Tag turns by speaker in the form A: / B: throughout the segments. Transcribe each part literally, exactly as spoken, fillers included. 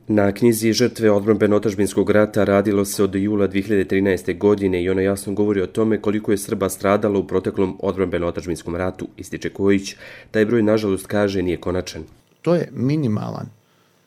A: Na knjizi Žrtve odbrambeno-otadžbinskog rata radilo se od jula dvije hiljade trinaeste. godine i ona jasno govori o tome koliko je Srba stradalo u proteklom odbrambeno-otadžbinskom ratu, ističe Kojić. Taj broj, nažalost, kaže, nije konačan.
B: To je minimalan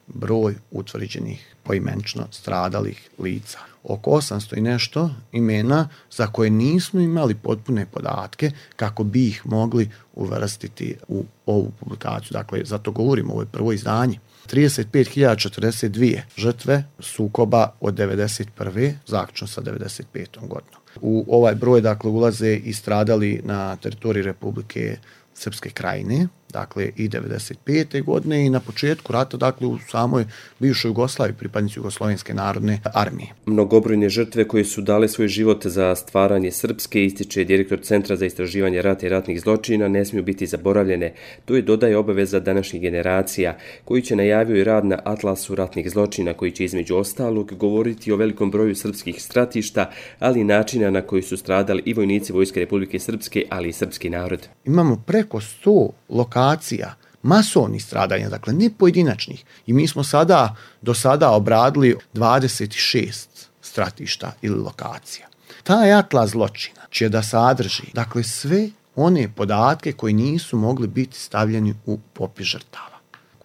B: broj utvrđenih poimenično stradalih lica. Oko osamsto i nešto imena za koje nismo imali potpune podatke kako bi ih mogli uvrstiti u ovu publikaciju. Dakle, zato govorimo, ovo je prvo izdanje. trideset pet hiljada četrdeset dvije žrtve sukoba od devedeset prve zaključno sa devedeset petom godinom. U ovaj broj, dakle, ulaze i stradali na teritoriji Republike Srpske Krajine, dakle i devedeset pete. godine i na početku rata, dakle u samoj bivšoj Jugoslaviji, pripadnici Jugoslovenske narodne armije.
A: Mnogobrojne žrtve koje su dale svoj život za stvaranje Srpske, ističe direktor Centra za istraživanje rata i ratnih zločina, ne smiju biti zaboravljene. To je, dodaje, obaveza današnjih generacija, koji će najavio i rad na Atlasu ratnih zločina, koji će između ostalog govoriti o velikom broju srpskih stratišta, ali i načina na koji su stradali i vojnici Vojske Republike Srpske, ali i srpski narod.
B: Imamo preko sto lokacija masovnih stradanja, dakle ne pojedinačnih. I mi smo sada, do sada obradili dvadeset šest stratišta ili lokacija. Taj atlas zločina će da sadrži, dakle, sve one podatke koji nisu mogli biti stavljeni u popis žrtava.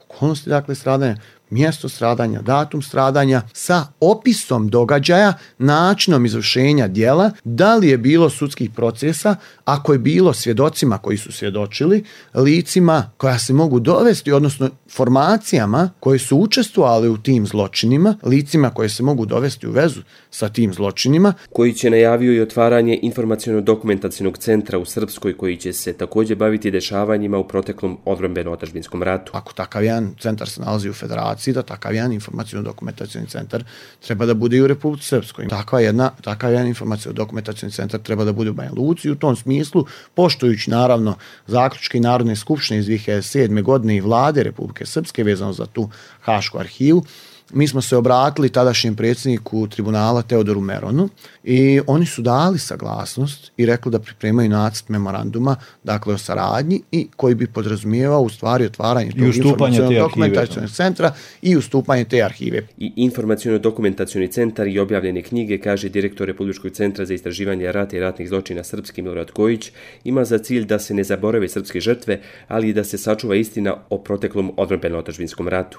B: Okolnosti, dakle, stradanja, mjesto stradanja, datum stradanja sa opisom događaja, načinom izvršenja djela, da li je bilo sudskih procesa, ako je bilo svjedocima koji su svjedočili, licima koja se mogu dovesti, odnosno formacijama koje su učestvovali u tim zločinima, licima koje se mogu dovesti u vezu sa tim zločinima.
A: Koji će najavio i otvaranje informaciono-dokumentacionog centra u Srpskoj, koji će se također baviti dešavanjima u proteklom odbrambeno-otadžbinskom ratu.
B: Ako takav jedan centar se nalazi u Federaciji, da takav jedan informaciono-dokumentacioni centar treba da bude i u Republici Srpskoj. Takva jedna, takav jedan informaciono-dokumentacioni centar treba da bude u Banja Luci. U tom smislu, poštujući naravno zaključke Narodne skupštine iz dvije hiljade sedme. godine i vlade Republike Srpske vezano za tu Hašku arhivu, mi smo se obratili tadašnjem predsjedniku tribunala Teodoru Meronu i oni su dali saglasnost i rekli da pripremaju nacrt memoranduma, dakle o saradnji, i koji bi podrazumijevao u stvari otvaranje tog informaciono-dokumentacionog centra i ustupanje te arhive.
A: I informaciono-dokumentacioni centar i objavljene knjige, kaže direktor Republičkog centra za istraživanje rata i ratnih zločina Srpski Milorad Kojić, ima za cilj da se ne zaborave srpske žrtve, ali i da se sačuva istina o proteklom odbrambeno-otadžbinskom ratu.